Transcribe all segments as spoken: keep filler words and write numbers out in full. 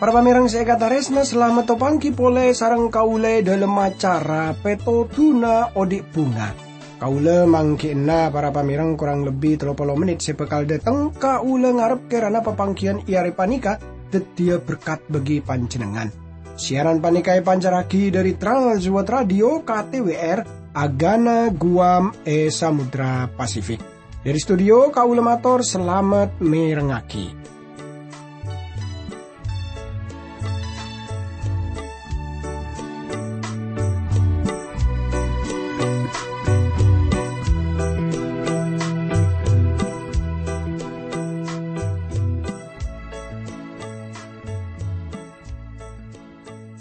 Para pamèrèng sè èkatarèsna, salamet topangghi polè sareng kaulâ è dhâlem acara Pètodhuna Odi' Bhunga. Kaulâ mangghi'na para pamèrèng korang lebbi tello polo mennit sè bhâkal dhâteng. Kaulâ ngarep kèrana papangghiyân è arè panèka dhâddhiyâ berkat bagi panjhennengngan. Siaran panèka èpancarraghi dhâri Trans World Radio K T W R, Agana Guam è Samudra Pasifik. Dhâri studio, kaulâ mator salamet mèrengngaghi.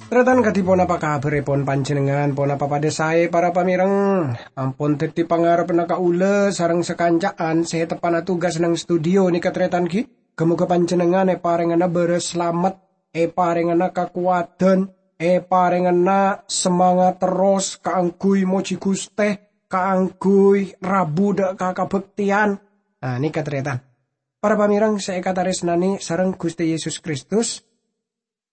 Tarètan, kadhi ponapa kabhârèpon panjhennengngan? Ponapa padâ saè, para pamèrèng? Ampon dhâddhi pangarebbhâ kaulâ sareng sakanca'an sè teppa'na tugas neng studio nèka, tarètan, ghi? Ghâ-mogâ panjhennengngan èparèngana bârâs salamet, èparèngana kakowadhân, èparèngana samangat terros kaangghuy mojhi Ghustè, kaangghuy rabu dhâ' ka kabhâktèyan. Nah, nèka, tarètan. Para pamèrèng sè èkatarèsnanè sareng Ghustè Yesus Kristus,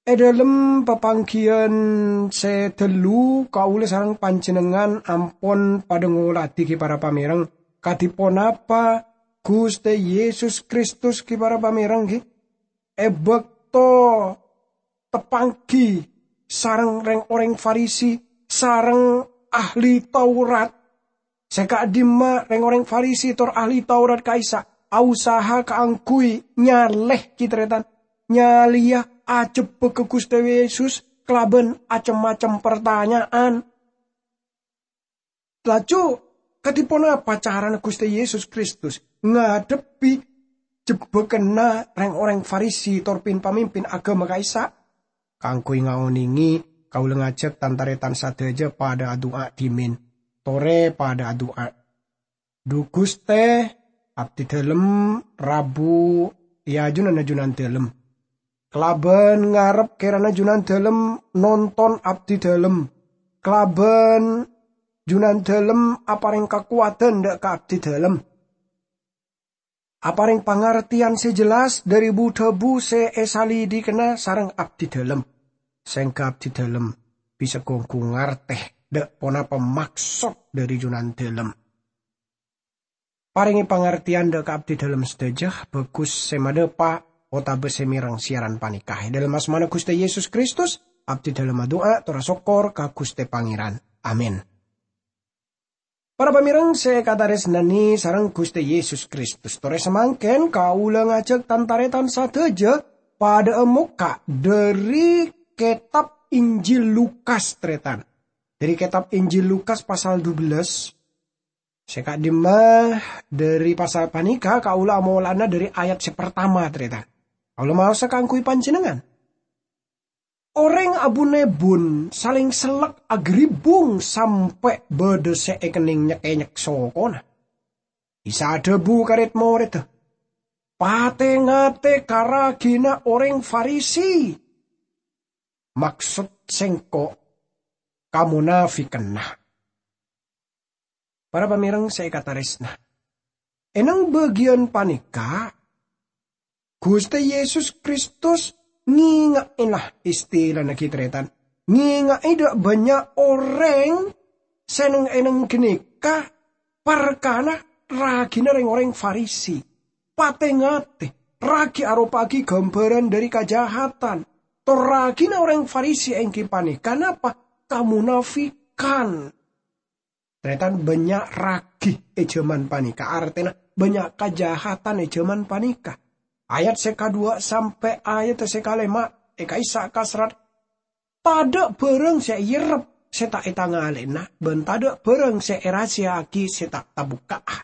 è dhâlem papangghiyân sè dâllu, kaulâ sareng panjhennengngan ampon padâ ngoladhi, ghi, para pamèrèng, kadhi ponapa Ghustè Yesus Kristus, ghi, para pamèrèng, ghi. È bâkto tapangghi sareng rèng-orèng Farisi, sareng ahli Taurat. Sè ka'dimma rèng-orèng Farisi tor ahli Taurat ka'issa' ausaha kaangghuy nyalè, ghi, tarètan, nyalèya ajhebbhâ ka Ghustè Yesus kalabân cem-macem partanya'an. Laju, kadhi ponapa carana Ghustè Yesus Kristus ngadhebbhi jebbhâgânna rèng-orèng Farisi tor pin-pamimpin aghâma ka'issa'? Kaangghuy ngaonèngè, kaulâ ngajhâk tan-tarètan sadhâjâ padâ adu'a dhimèn. Torè padâ adu'a. Dhu Ghustè, abdhi dhâlem rabu è ajunanna Junandâlem. Kalabân ngarep kèrana Junandâlem nonton abdhi dhâlem. Kalabân Junandâlem aparèng kakowadhân dhâ' ka abdhi dhâlem. Aparèng pangartèyan sè jelas dhâri bu-dhâbu sè èsalidikana sareng abdhi dhâlem, sèngghâ abdhi dhâlem bisa ghu-ongghu ngartè dhâ' ponapa maksod dhâri Junandâlem. Parèngè pangartèyan dhâ' ka abdhi dhâlem sadhâjâ, bhâghus sè madhâpa' otabâ sè mèreng siaran panèka. È dhâlem asmana Ghustè Yesus Kristus, abdhi dhâlem adu'a tor asokkor ka Ghustè Pangèran. Amin. Para pamèreng sè èkatarèsnanè sareng Ghustè Yesus Kristus, torè samangkèn kaulâ ngajhâk tan-tarètan sadhâjâ padhâ'â mokka' dhâri kètab Injil Lukas, tarètan. Dhâri kètab Injil Lukas pasal dubellâs, sè ka'dimma dhâri pasal panèka kaulâ amola'ana dhâri ayat sè partama, tarètan. Kaulâ maosa kaangghuy panjhennengngan. Orèng abu-nebun salèng sellek aghâribbung sampè' bâdâ sè èkennèng nyek-enyek sokona. Isa adhâbu ka red-morèdda, "Patè-ngatè ka ragina orèng Farisi, maksod sèngko' kamonafikanna." Para pamèreng sè èkatarèsna, è neng bâgiyân panèka, Ghustè Yesus Kristus ngènga'è, la, istilana ghi, tarètan, ngènga'è dhâ' bânnya' orèng sè neng-enneng ghânèka parkana ragina rèng-orèng Farisi. Patè-ngatè, ragi aropa'aghi ghâmbhârân dhâri kajahatan. Tor ragina orèng Farisi èngghi panèka napa? Kamonafikan. Tarètan, bânnya' ragi è jhâman panèka, artèna bânnya' kajahatan è jhâman panèka. Ayat sè kaduwâ' sampè' ayat sè kalèma' è ka'issa' kaserrat, "Tadâ' bhârâng sè èyerrep sè ta' ètangalèna, bân tadâ' bhârâng sè èrahasiya'aghi sè ta' tabukka'a."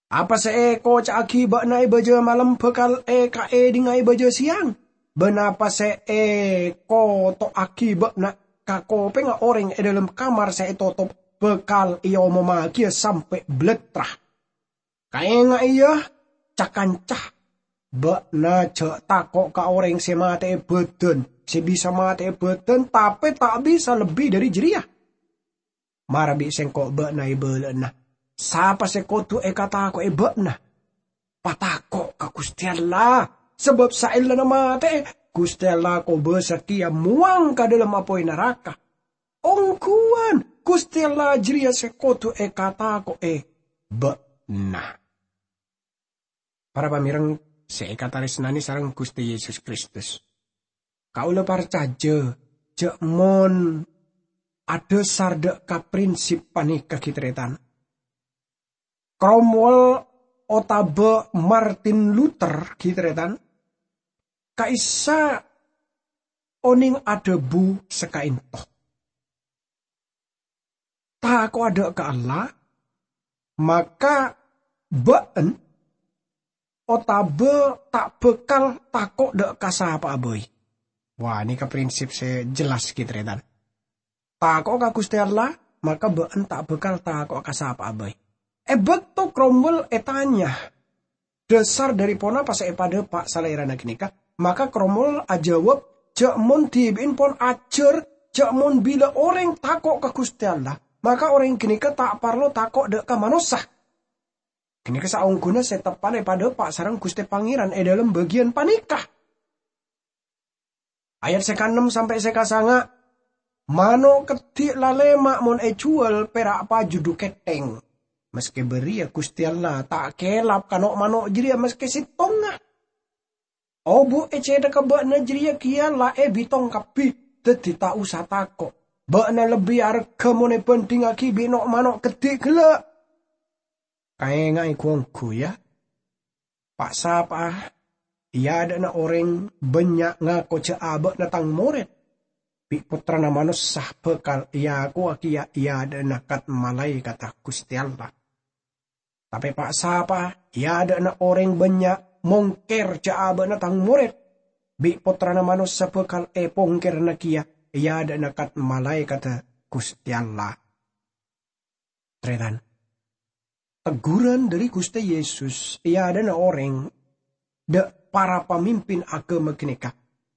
Apa sè èkoca'aghi bâ'na è bâjâ malem bhâkal èkaèdhinga è bâjâ sèyang, bân apa sè èkoto'aghi bâ'na ka kopèngnga orèng è dhâlem kamar sè ètotop bhâkal èomommaghiyâ sampè' bâlâtra. Kaèngaè, yâ, ca-kanca, bâ'na jhâ' tako' ka orèng sè matè'è bâdân, sè bisa matè'è bâdân, tapè ta' bisa lebbi dhâri jârèya. Mara bi' sèngko' bâ'na èbâlâ'âna, sapa sè kodhu èkatako'è bâ'na? Patako' ka Ghustè Allah, sabâb saellana matè'è, Ghustè Allah kobâsa kèya mowang ka dhâlem apoy naraka. Ongghuwân, Ghustè Allah jârèya sè kodhu èkatako'è bâ'na. Para pamèreng sè èkatarèsnanè sareng Ghustè Yesus Kristus, kaulâ parcajâ jâ' mon adhâsar dâ' ka prinsip panèka, ghi tarètan, Cromwell otabâ Martin Luther, ghi tarètan, ka'issa' onèng adhâbu saka'ènto. Tako'a dâ' ka Allah, maka bâ'ân otabâ ta' bhâkal tako' dâ' ka sapa'a bhâi. Wah, nèka prinsip sè jelas, ghi tarètan. Tako'a ka Ghustè Allah, maka bâ'ân ta' bhâkal tako'a ka sapa'a bhâi. È bâkto Cromwell ètanya, dhâsar dhâri ponapa sè èpadâpa' salèrana ghânèka? Maka Cromwell ajâwâb, jâ' mon dhibi'en pon ajhâr, jâ' mon bilâ orèng tako' ka Ghustè Allah, maka orèng ghânèka ta' parlo tako' dâ' ka manossa. Ghânèka saongghuna sè teppa'na èpadâpa' sareng Ghustè Pangèran è dhâlem bâgiyân panèka. Ayat sè kaennem sampè' sè kasanga', "Mano' keddhi' lalèma' mon èjhuwâl pèra' paju dhu kèthèng." Maskè bâriyâ Ghustè Allah ta' kèlap ka no'-mano' jârèya maskè sèttongnga. Obu' è cèthagghâ bâ'na jârèya kèya la èbitong kabbhi, dhâddhi ta' osa tako'. Bâ'na lebbi arghâ mon èbhândhingngaghi bi' no'-mano' keddhi' ghellâ'. Kaènga'è ghu-ongghu, yâ. Pa'-sapa'a è adâ'na orèng bânnya' ngako jâ' abâ'na Tang morèd, bi' Pottrana Manossa bhâkal èakowa kèya è adâ'na kat-malaèkatta Ghustè Allah. Tapè pa'-sapa'a è adâ'na orèng bânnya' mongkèr jâ' abâ'na Tang morèd, bi' Pottrana Manossa bhâkal èpongkèrana kèya è adâ'na kat-malaèkatta Ghustè Allah. Tarètan, tegghuran dhâri Ghustè Yesus è adâ'na orèng dâ' para pamimpin aghâma ghânèka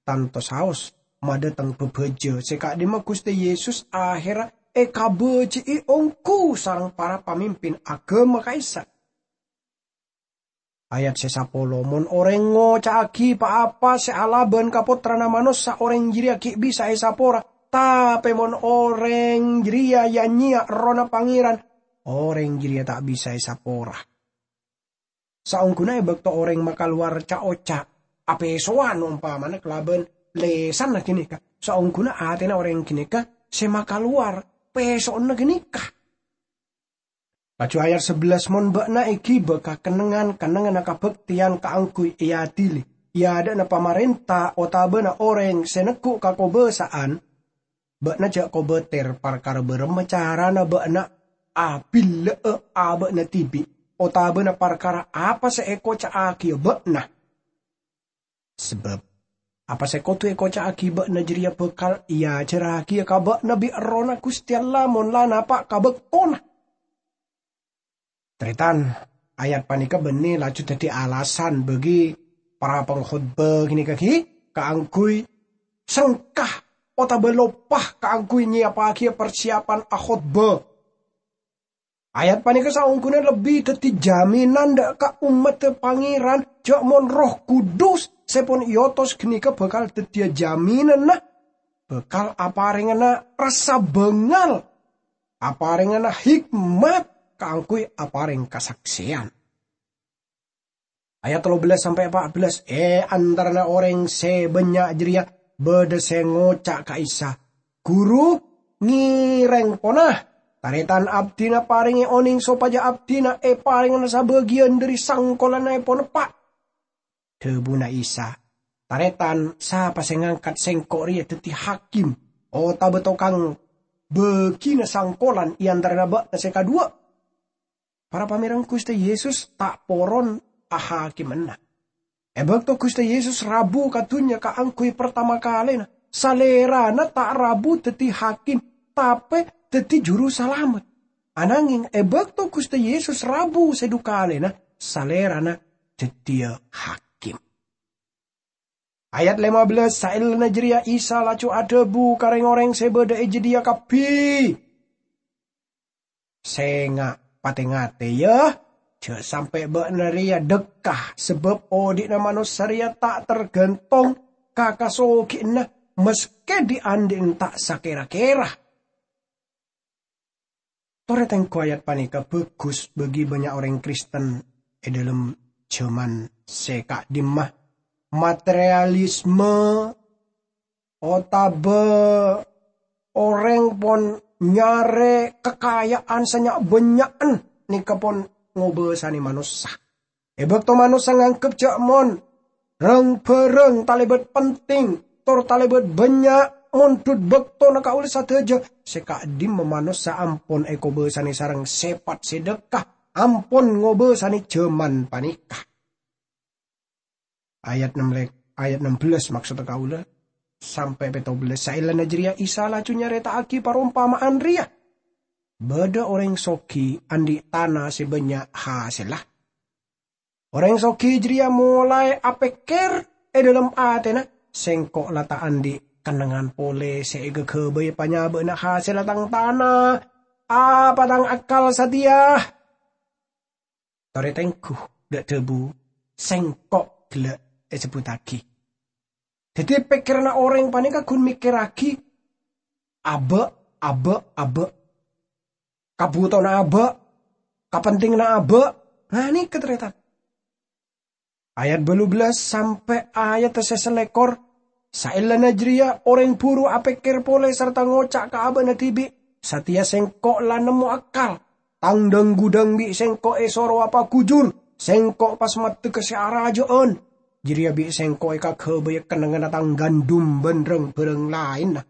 tanto saos madhâteng bhâbhâjâ sè ka'dimma Ghustè Yesus ahèrra èkabâji'i ongghu sareng para pamimpin aghâma ka'issa'. Ayat sè sapolo, "Mon orèng ngoca'aghi pa-apa sè alabân ka Pottrana Manossa, orèng jârèya ghi' bisa èsapora. Tapè mon orèng jârèya ya-nyèya Errohna Pangèran, orèng jârèya ta' bisa èsapora." Saongghuna è bâkto orèng makalowar ca'-oca' apèsowan, ompamana kalabân lèsanna ghânèka, saongghuna atèna orèng ghânèka sè makalowar pèsowanna ghânèka. Laju ayat sabellâs, "Mon bâ'na èghibâ ka kennengnganna kabhâktèyan kaangghuy èadili è adâ'na pamarènta otabâna orèng sè neggu' kakobâsa'an, bâ'na jâ' kobâtèr parkara bârâmma carana bâ'na abillâ'â abâ'na dhibi' otabâna parkara apa sè èkoca'aghiyâ bâ'na. Sabâb apa sè kodhu èkoca'aghi bâ'na jârèya bhâkal èajhârragiyâ ka bâ'na bi' Errohna Ghustè Allah mon la napa' ka bâktona." Tarètan, ayat panèka bânnè laju dhâddhi alasan bagi para pangkhotbah ghânèka ghi kaangghuy sengka otabâ loppa kaangghuy nyèyapaghiyâ parsèyapan akhotbah. Ayat panèka saongghuna lebbi dhâddhi jaminan dâ' ka ommaddhâ Pangèran jâ' mon Erroh Kudus sè pon èotos ghânèka bhâkal dhâddhiyâ jaminanna, bhâkal aparèngana rassa bângal, aparèngana hikmat kaangghuy aparèng kasaksèyan. Ayat tello bellâs sampè' empa' bellâs, è antarana orèng sè bânnya' jârèya bâdâ sè ngoca' ka Isa, "Ghuru, ngèrèng pona. Tarètan abdhina parèngè onèng sopajâ abdhina èparèngana sabâgiyân dhâri sangkolanna èponeppa'." Dhâbuna Isa, "Tarètan, sapa sè ngangkat Sèngko' rèya dhâddhi hakim otabâ tokang bâgina sangkolan è antarana bâ'na sè kaduwâ'?" Para pamèreng, Ghustè Yesus ta' poron ahakimana. È bâkto Ghustè Yesus rabu ka dhunnya kaangghuy partama kalèna, Salèrana ta' rabu dhâddhi hakim, tapè dhâddhi juru salamet. Ananghèng è bâkto Ghustè Yesus rabu sè dhu kalèna, Salèrana dhâddhiyâ hakim. Ayat lima belas, saellana jareya Isa laju adhabu ka reng-oreng se badha e jadhiya kabbi, "Senga' pate-ngate, ya! Ja' sampe' ba'na reya dhekka, sabab odhi'na manossa reya ta' targantong ka kasogiyanna, maske dhi'-andhi'na ta' sakera-kera." Tore tenggu ayat paneka bagus bagi bannya' oreng Kristen e dhalem jaman se ka'dimma. Materialisme otaba oreng pon nyare kakaya'an sanya'-bannya'an neka pon ngobasane manossa. E bakto manossa nganggep ja' mon rang-barang talebat penting, tor talebat bannya', mondhut baktona kaula sadaja, se ka'dimma manossa ampon ekobasane sareng sepat se dhekka, ampon ngobasane jaman paneka. Ayat enam le-, ayat enam belas maksodda kaula, sampe' petobelas. Saellana jareya Isa laju nyareta'agi parompama'an reya. Badha oreng sogi andhi' tana se bannya' hasella. Oreng sogi jareya molae apekker e dhalem atena, "Sengko' la ta' andhi' kennengngan pole se egagabay panyaba'na hasella tang tana. Apa tang akkal sateya?" Tore tenggu, dha' dhabu, "Sengko'" gella' esebbhuttagi. Daddi, pekkeranna oreng paneka gun mikkerragi aba', aba', aba'. Kabhutowanna aba', kapentinganna aba'. Nah, neka, taretan. Ayat bâllu bellas sampe' ayat se salekor. Saellana jareya, oreng buru apekker pole sarta ngoca' ka aba'na dibi', "Sateya sengko' la nemmo akkal. Tang dhang-ghudhâng bi' sengko' esoro apagujur. Sengko' pas maddhegga se araja'an. Jareya bi' sengko' ekagabaya kennengnganna tang gandum ban rang-barang laenna."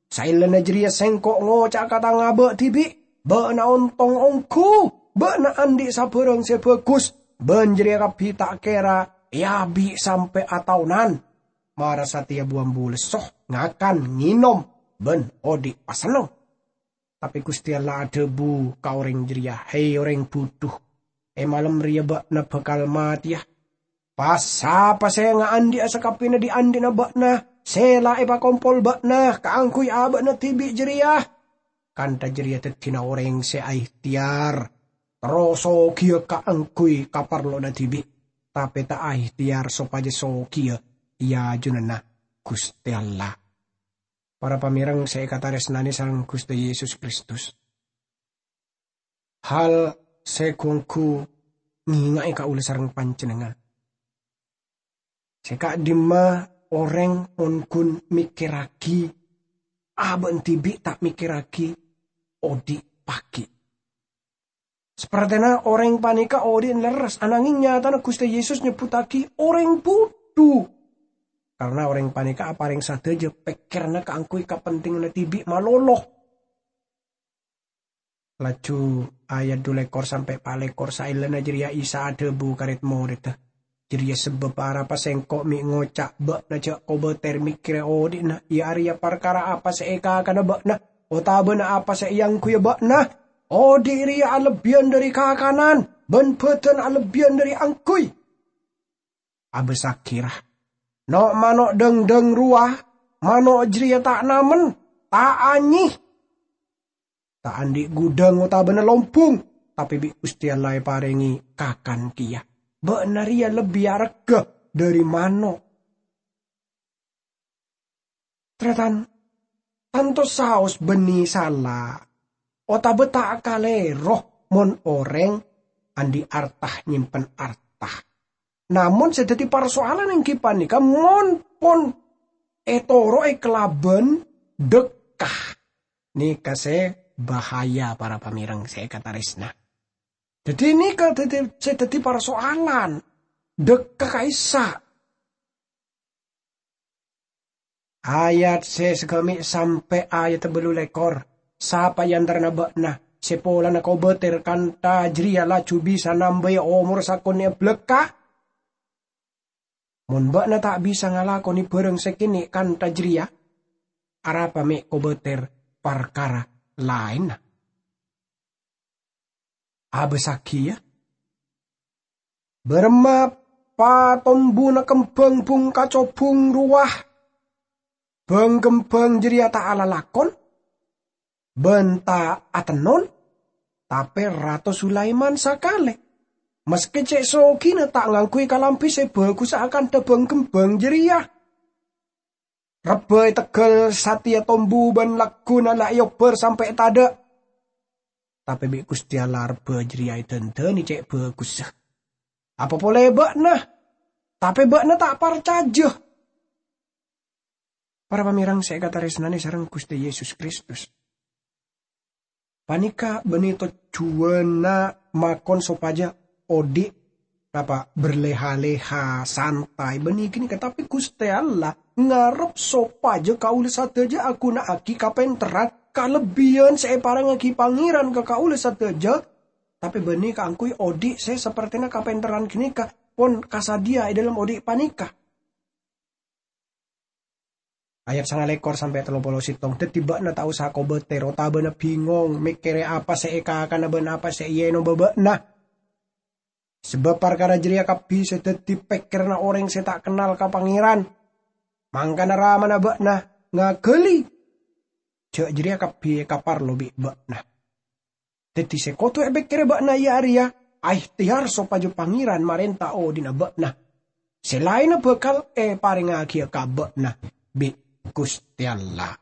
Saellana jareya sengko' ngoca' ka tang aba' dibi', "Ba'na ontong ongghu, ba'na andhi' sabârâng se bhâghus, ban jareya kabbi ta' kera eabi' sampe' ataonan. Mara sateya bu-ambu lesso, ngakan, ngenom, ban odhi' pasenneng." Tape Guste Allah adhabu ka oreng jareya, "He, oreng budhu! E malem reya ba'na bakal mateya. Pas-sapa se ngaandhi'a sakabbina dhi'-andhi'na ba'na se la epakompol ba'na kaangguy aba'na dibi' jareya, kantha jareya daddina oreng se aehteyar, terro sogiya kaangguy kaparlowanna dibi', tape ta' aehteyar sopaja sogiya e ajunanna Guste Allah." Para pamereng se ekataresnane sareng Guste Yesus Kristus, hal se gu-onggu ngenga'e kaula sareng panjennengngan. Se ka'dimma oreng mon gun mikkerragi aba'na dibi', ta' mikkerragi odhi' pagi'. Sapartena oreng paneka odhi'na lerres, anangeng nyatana Guste Yesus nyebbhuttagi oreng budhu. Karna oreng paneka apareng sadaja pekkeranna kaangguy kapentinganna dibi' malolo. Laju ayat dhu lekor sampe' pa' lekor, saellana jareya Isa adhabu ka red-moredda, "Jareya sababba arapa Sengko' me' ngoca' ba'na ja' kobater mekkere odhi'na, iya areya parkara apa se ekakana ba'na, otabana apa se eangguya ba'na. Odhi' reya alebbiyân dhari kakanan, ban badan alebbiyân dhari angguy. Abasagi, ra, no'-mano' dhangdhang rowa, mano' jareya ta' namen, ta' anyè, ta' andhi' gudhâng otabana lombung, tape bi' Guste Allah eparenge kakan keya. Ba'na reya lebbi aregga dhari mano'." Tarètan, tanto saos bânnè sala otaba ta' kalèro mon orèng andhi' arta nyèmpen arta. Namong sè dhâddhi parsoalan èngghi panèka mon pon ètoro'è kalabân dhâkka. Nèka sè bahaya, para pamèrèng sè èkatarèsna. Dhâddhi nèka dhâddhi, sè dhâddhi parsoalan, dhâkka ka'issa'. Ayat sè sagâmè' sampè' ayat bâllu lèkor. Sapa è antarana bâ'na sè polana kobâtèr kantha jârèya laju bisa nambâi omor sakonè' bâlâkka'? Mon bâ'na ta' bisa ngalakonè bârâng sè kènè' kantha jârèya, arapa mè' kobâtèr parkara laènna? Abâssaghi, yâ. Bârâmma patombuna kembhâng bhungkacobhung rowa. Bhâng-kembhâng jârèya ta' alalakon, bân ta' atennon, tapè Rato Sulaiman sakalè, maskè cè' soghina ta' ngangghuy kalambhi sè bhâghussa akantha bhâng-kembhâng jârèya. Rebbhâ è tegghâl satèya tombu bân lagghuna la èobbhâr sampè' tadâ'. Tapè bi' Ghustè Allah rebbhâ jârèya èdhândhâni cè' bhâghussa. Apa polè bâ'na, tapè bâ'na ta' parcajâ. Para pamèrèng sè èkatarèsnanè sareng Ghustè Yesus Kristus, panèka bânnè tojjhuwânna makon sopajâ odi', napa, berleha-leha, santai, bânnè ghânèka. Tapè Ghustè Allah ngarep sopajâ kaulâ sadhâjâ aghuna'aghi kapènterran kalebbiyân sè èparèngaghi Pangèran ka kaulâ sadhâjâ, tapè bânnè kaangghuy odi' sè sapertèna kapènterran ghânèka pon kasadhiyâ è dhâlem odi' panèka. Ayat sangalèkor sampè' tello polo sèttong. Dhâddhi bâ'na ta' osa kobâtèr otabâna bingong mèkkèrè apa sè èkakana bân apa sè èènoba bâ'na. Sabâb parkara jârèya kabbhi sè dhâddhi pèkkèranna orèng sè ta' kennal ka Pangèran. Mangkana Ramana bâ'na ngaghâli jâ' jârèya kabbhi èkaparlo bi' bâ'na. Dhâddhi sè kodhu èpèkkèrè bâ'na iyâ arèya aèhtèyar sopajâ Pangèran marènta odhi'na bâ'na. Sè laènna bhâkal èparèngaghiyâ ka bâ'na bi' Ghustè Allah.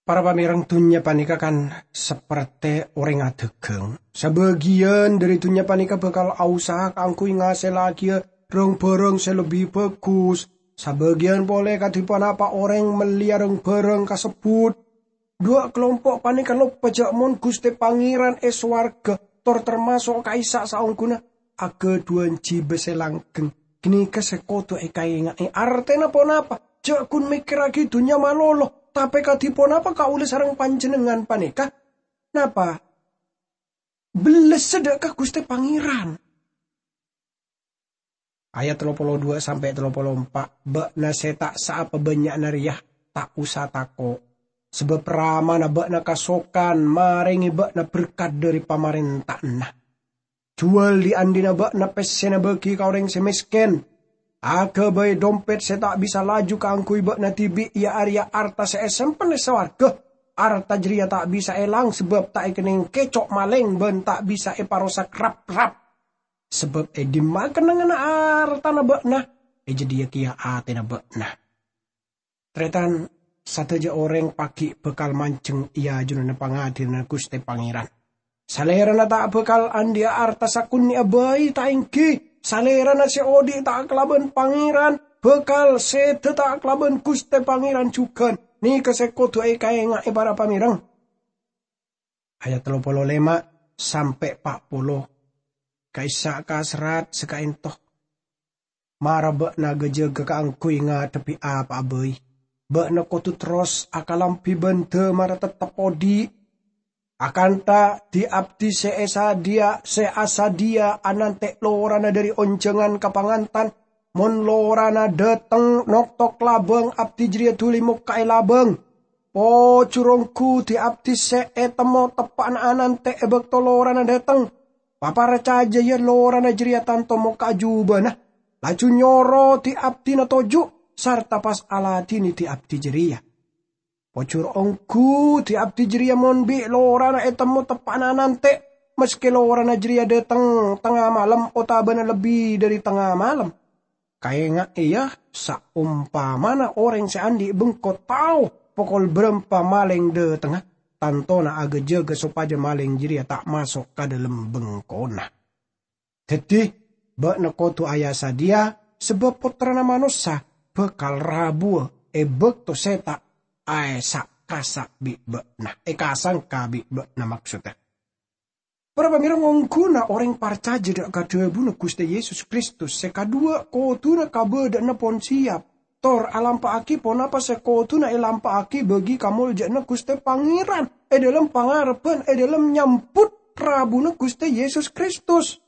Para pamèrèng, dhunnya panèka kan sapertè orèng adhâghâng. Sabâgiyân dhâri dhunnya panèka bhâkal aosa kaangghuy ngasèllaghiyâ rang-bhârâng sè lebbi bhâghus. Sabâgiyân polè kadhi ponapa orèng mellèya rang-bhârâng kasebbhut. Duwâ' kalompo' panèka loppa jâ' mon Ghustè Pangèran è sowarghâ tor tamaso' ka'issa' saongghuna aghâdhuwân jibâ sè langgheng. Ghânèka sè kodhu èkaènga'è. Artèna ponapa? Jâ' ghun mèkkèrraghi dhunnya malolo, tapè kadhi ponapa kaulâ sareng panjhennengngan panèka? Napa? Bellessa dâ' ka Ghustè Pangèran. Ayat tello polo duwâ' sampè' tello polo empa', bâ'na sè ta' saapa bânnya'na rèya, ta' osa tako', sabâb Ramana bâ'na kasokan marèngè bâ'na berkat dhâri pamarènta'anna. Juwâl dhi'-andhi'na bâ'na pèssèna bâgi ka orèng sè mèskèn. Aghâbây dompet sè ta' bisa laju kaangghuy bâ'na dhibi', iyâ arèya arta sè èsempen è sowarghâ. Arta jârèya ta' bisa èlang sabâb ta' èkennèng kèco' malèng bân ta' bisa èparosak rap-rap. Sabâb è dimma kennengnganna artana bâ'na, è jâdiyâ kèya atèna bâ'na. Tarètan, sadhâjâ orèng paghi' bhâkal manjheng è ajunanna pangadhilanna Ghustè Pangèran. Salèrana ta' bhâkal andhi'a arta sakonè'a bhâi, ta' èngghi. Salèrana sè odi' ta' kalabân Pangèran, bhâkal sèdhâ ta' kalabân Ghustè Pangèran jhughân. Nèka sè kodhu èkaènga'è, para pamèrèng. Ayat tello polo lèma' sampè' pa' polo. Ka'issa' ka serrat sè ka'ènto. Mara bâ'na ghâjâghâ kaangghuy ngadhebbhi apa'a bhâi. Bâ'na kodhu terros akalambhi bân dâ' mara tettep odi'. Akantha dhi-abdhi sè èsadhiyâ, sè asadhiyâ anantè' lorana dhâri onjhângan ka pangantan, mon lorana dhâteng noktok labâng, abdhi jârèya dhuli mokka' è labâng. Pojhur ongghu dhi-abdhi sè ètemmo teppa'na anantè' è bâkto lorana dhâteng. Paparcajâ, yâ, lorana jârèya tanto mokka'a jhubâna, laju nyoro dhi-abdhina toju' sarta pas aladhinè dhi-abdhi jârèya. Pojhur ongghu dhi-abdhi jârèya mon bi' lorana ètemmo teppa'na anantè', maskè lorana jârèya dhâteng tengnga malem otabâna lebbi dhâri tengnga malem. Kaènga'è, yâ, saompamana orèng sè andi' bengko tao pokol bârâmpa malèng dhâtengnga, tantona aghâjâghâ sopajâ malèng jârèya ta' maso' ka dhâlem bengkona. Dhâddhi, bâ'na kodhu aya-sadhiyâ, sabâb Pottrana Manossa bhâkal rabuwâ è bâkto sè ta' aèsa'-kasa' bi' bâ'na, èkasangka bi' bâ'na, maksodda. Para pamèrèng, ongghuna orèng parcajâ dâ' ka dhâbuna Ghustè Yesus Kristus sè kadhuwâ' kodhuna kabâdâ'ânna pon siyap, tor alampa'aghi ponapa sè kodhuna èlampa'aghi bâgi kamoljâ'ânna Ghustè Pangèran è dhâlem pangarebbhân, è dhâlem nyambut rabuna Ghustè Yesus Kristus.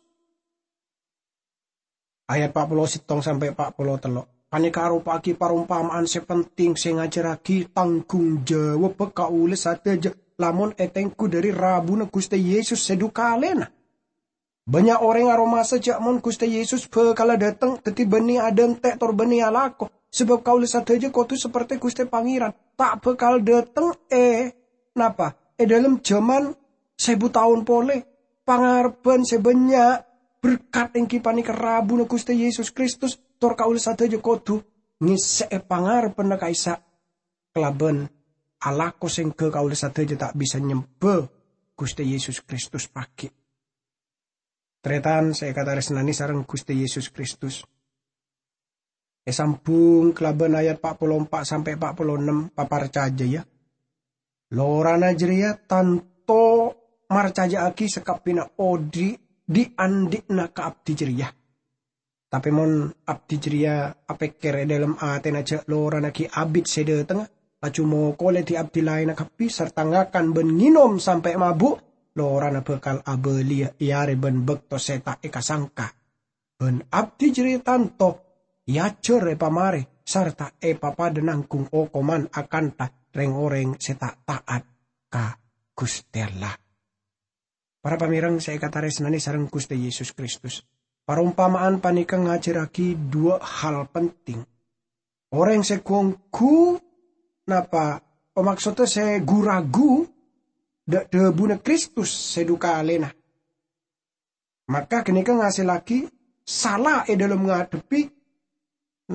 Ayat pa' polo sèttong sampè' pa' polo tello'. Panèka aropa'aghi parompama'an sè penting sè ngajhârraghi tanggung jawabbhâ kaulâ sadhâjâ lamon ètengghu dhâri rabuna Ghustè Yesus sè dhu kalèna. Bannya' orèng aromasa jâ' mon Ghustè Yesus bhâkalla dâteng, dhâddhi bânnè adhânte' tor bânnè alako, sabâb kaulâ sadhâjâ kodhu saperte Ghustè Pangèran. Ta' bhâkal dâteng è, napa? È dhâlem jhâman sèbu taon polè. Pangarebbhân sè bânnya' berkat èngghi panèka rabuna Ghustè Yesus Kristus, tor kaulâ sadhâjâ kodhu ngèssè'è pangarebbhânna ka'issa' kalabân alako sèngghâ kaulâ sadhâjâ ta' bisa nyembhâ Ghustè Yesus Kristus paghi'. Tarètan sè èkatarèsnanè sareng Ghustè Yesus Kristus. Èsambhung kalabân ayat pa' polo empa' sampè' pa' polo ennem, paparcajâ, yâ. Lorana jârèya tanto marcajâ'aghi sakabbhiyânna odi' dhi'-andhi'na ka abdhi jârèya. Tapè mon abdhi jârèya apèkkèr è dhâlem atèna jâ' lorana ghi' abit sè dâtengnga, laju mokolè dhi-abdhi laènna kabbhi sarta ngakan bân ngènom sampè' mabu', lorana bhâkal abâliyâ è arè bân bâkto sè ta' èkasangka. Bân abdhi jârèya tanto èajhâr èpamarè sarta èpapadâ nangghung okoman akantha rèng-orèng sè ta' ta'at ka Ghustè Allah. Para pamèreng sè èkatarèsnanè sareng Ghustè Yesus Kristus, parompama'an panèka ngajhârraghi duwâ' hal penting. Orèng sè ghu-ongghu, napa, pamaksodda sè ghu-ragu dâ'-, dhâbuna Kristus sè dhu kalèna. Maka ghânèka ngasellaghi sala è dhâlem ngadhebbhi,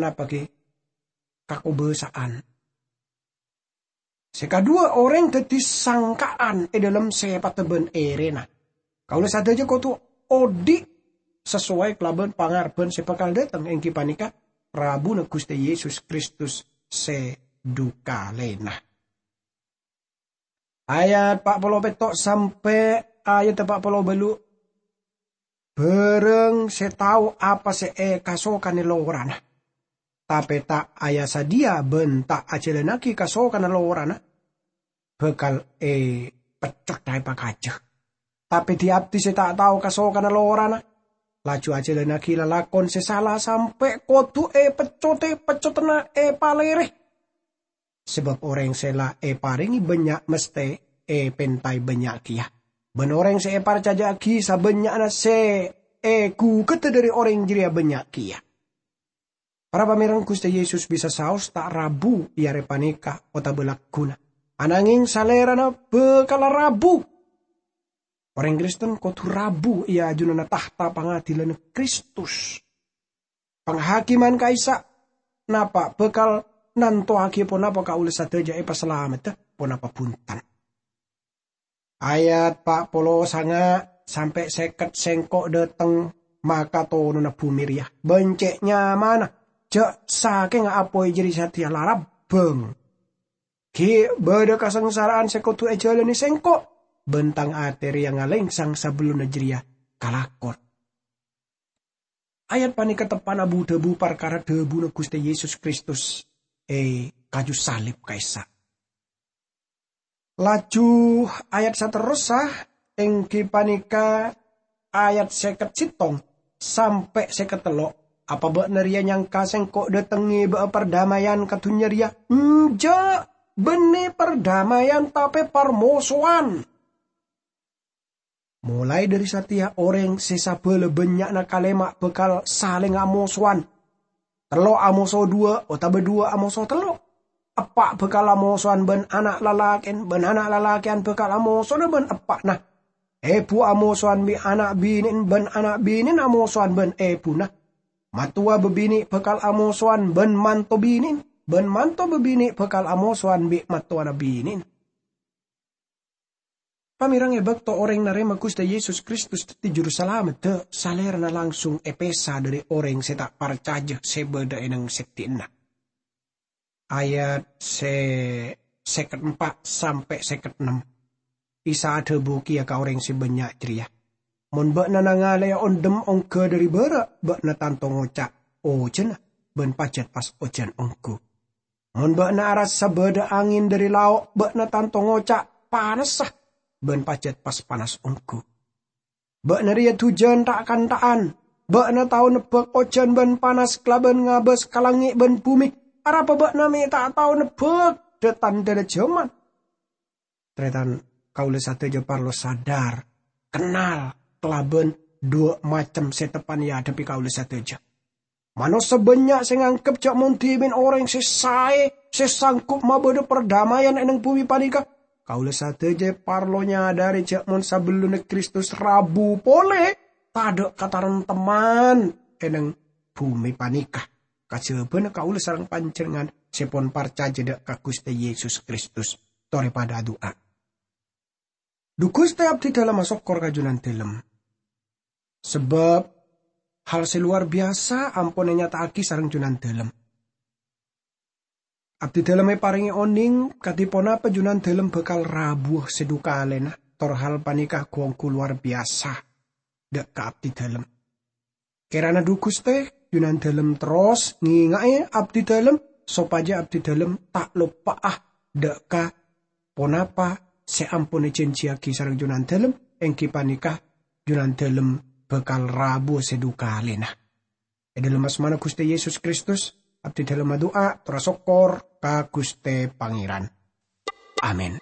napa ghi, kakobâsa'an. Sè kaduwâ, orèng dhâddhi sangka'an è dhâlem sèpaddhâ bân èrèna. Kaulâ sadhâjâ kodhu odi' sasowai kalabân pangarebbhân sè bhâkal dâteng, èngghi panèka rabuna Ghustè Yesus Kristus sè dhu kalèna. Ayat pa' polo pètto' sampè' ayat pa' polo bâllu'. Bârâng sè tao apa sè èkasokanè lorana, tapè ta' aya-sadhiyâ bân ta' ajhâlânnaghi kasokanna lorana, bhâkal èpeccot èpakajâ. Tapè dhi-abdhi sè ta' tao kasokanna lorana, laju ajhâlânnaghi lalakon sè sala sampè' kodhu èpeccotè pecconna èpalèrè. Sabâb orèng sè la èparèngè bânnya' mesthè èpèntaè bânnya' kèya, bân orèng sè èparcajâ'aghi sabânnya'na sè èghugâdhâ dhâri orèng jârèya bânnya' kèya. Para pamèreng, Ghustè Yesus bisa saos ta' rabu è arè panèka otabâ lagghuna, ananghèng Salèrana bhâkal rabu. Orèng Kristen kodhu rabu è ajunanna tahta pangadhilanna Kristus. Panghakimman ka'issa', napa, bhâkal nantowaghi ponapa kaulâ sadhâjâ èpasalamedhâ, ponapa bhunten. Ayat pa' polo sanga' sampè' sèket sèngko' dâteng makatonona bhumè rèya, bân cè' nyamana jâ' sakènga apoy jârèya satèya la rabbâng. Ghi' bâdâ kasangsara'an sè kodhu èjhâlânè sèngko', bân tang atè rèya ngalèngsang sabellunna jârèya kalakon. Ayat panèka teppa'na bu-dhâbu parkara dhâbuna Ghustè Yesus Kristus è kaju salib ka'issa'. Laju ayat saterrossa, èngghi panèka ayat sèket sèttong sampè' sèket tello', "Apa bâ'na rèya nyangka sèngko' dâteng ngèbâ'â pardamaian ka dhunnya rèya? Enjâ'! Bânnè pardamaian, tapè parmosowan." Molaè dhâri satèya orèng sè sabâlâ bânnya'na kalèma' bhâkal salèng amosowan. Tello' amoso dhuwâ' otabâ dhuwâ' amoso tello'. Eppa' bhâkal amosowan bân ana' lalakè'en, bân ana' lalakè'an bhâkal amosowana bân eppa'na. Èbhu amosowan bi' ana' binè'en, bân ana' binè'en amosowan bân èbhuna. Mattowa babinè' bhâkal amosowan bân manto binè'en, bân manto babinè' bhâkal amosowan bi' mattowana binè'en. Pamèreng, è bâkto orèng narèma Ghustè Yesus Kristus dhâddhi Jurusalameddhâ, salèrana langsung èpèsa dhâri orèng sè ta' parcajâ sè bâdâ è neng sèddhi'na. Ayat sè sèket empa' sampè' sèket ennem. Isa adhâbu kèya ka orèng sè bânnya' jârèya, "Mon bâ'na nangalè'è ondhem ongghâ dhâri bârâ', bâ'na tanto ngoca', 'Ojhâna,' bân pajhât pas ojhân ongghu. Mon bâ'na arassa bâdâ angèn dhâri lao', bâ'na tanto ngoca', 'Panassa,' bân pajhât pas panas ongghu. Bâ'na rèya dhujân ta'-kanta'an. Bâ'na tao nebbhâk ojhân bân panas kalabân ngabâs ka langngè' bân bhumè. Arapa bâ'na mè' ta' tao nebbhâk dâ-tandhâna jhâman?" Tarètan, kaulâ sadhâjâ parlo sadar, kennal kalabân Dhuwâ' macem sè teppan èadhebbhi kaulâ sadhâjâ. Manossa bânnya' sè nganggep jâ' mon dhimèn orèng sè saè, sè sangghup mabâdâ pardamaian è neng bhumè panèka. Kaulâ sadhâjâ parlo nyadhâri jâ' mon sabellunna Kristus rabu polè, tadâ' kataremtemman è neng bhumè panèka. Kajhâbhâna kaulâ sareng panjhennengngan sè pon parcajâ dâ' ka Ghustè Yesus Kristus. Torè padâ adu'a. Dhu Ghustè, abdhidhâlem asokkor ka Jhunandhâlem. Sabâb hal sè lowar biyasa ampon ènyata'aghi sareng Jhunandhâlem. Abdhidhâlem èparèngè onèng kadhi ponapa Jhunandhâlem bhâkal rabuwâ sè dhu kalèna, tor hal panèka ghu-ongghu lowar biyasa dâ' ka abdhidhâlem. Kèrana dhu Ghustè, Jhunandhâlem terros ngènga'è abdhidhâlem sopajâ abdhidhâlem ta' loppa'a dâ' ka ponapa sè ampon èjhânjhiyaghi sareng Jhunandhâlem, èngghi panèka Jhunandhâlem bhâkal rabuwâ sè dhu kalèna. È dhâlem asmana Ghustè Yesus Kristus, abdhidhâlem adu'a tor asokkor ka Ghustè Pangèran. Amin.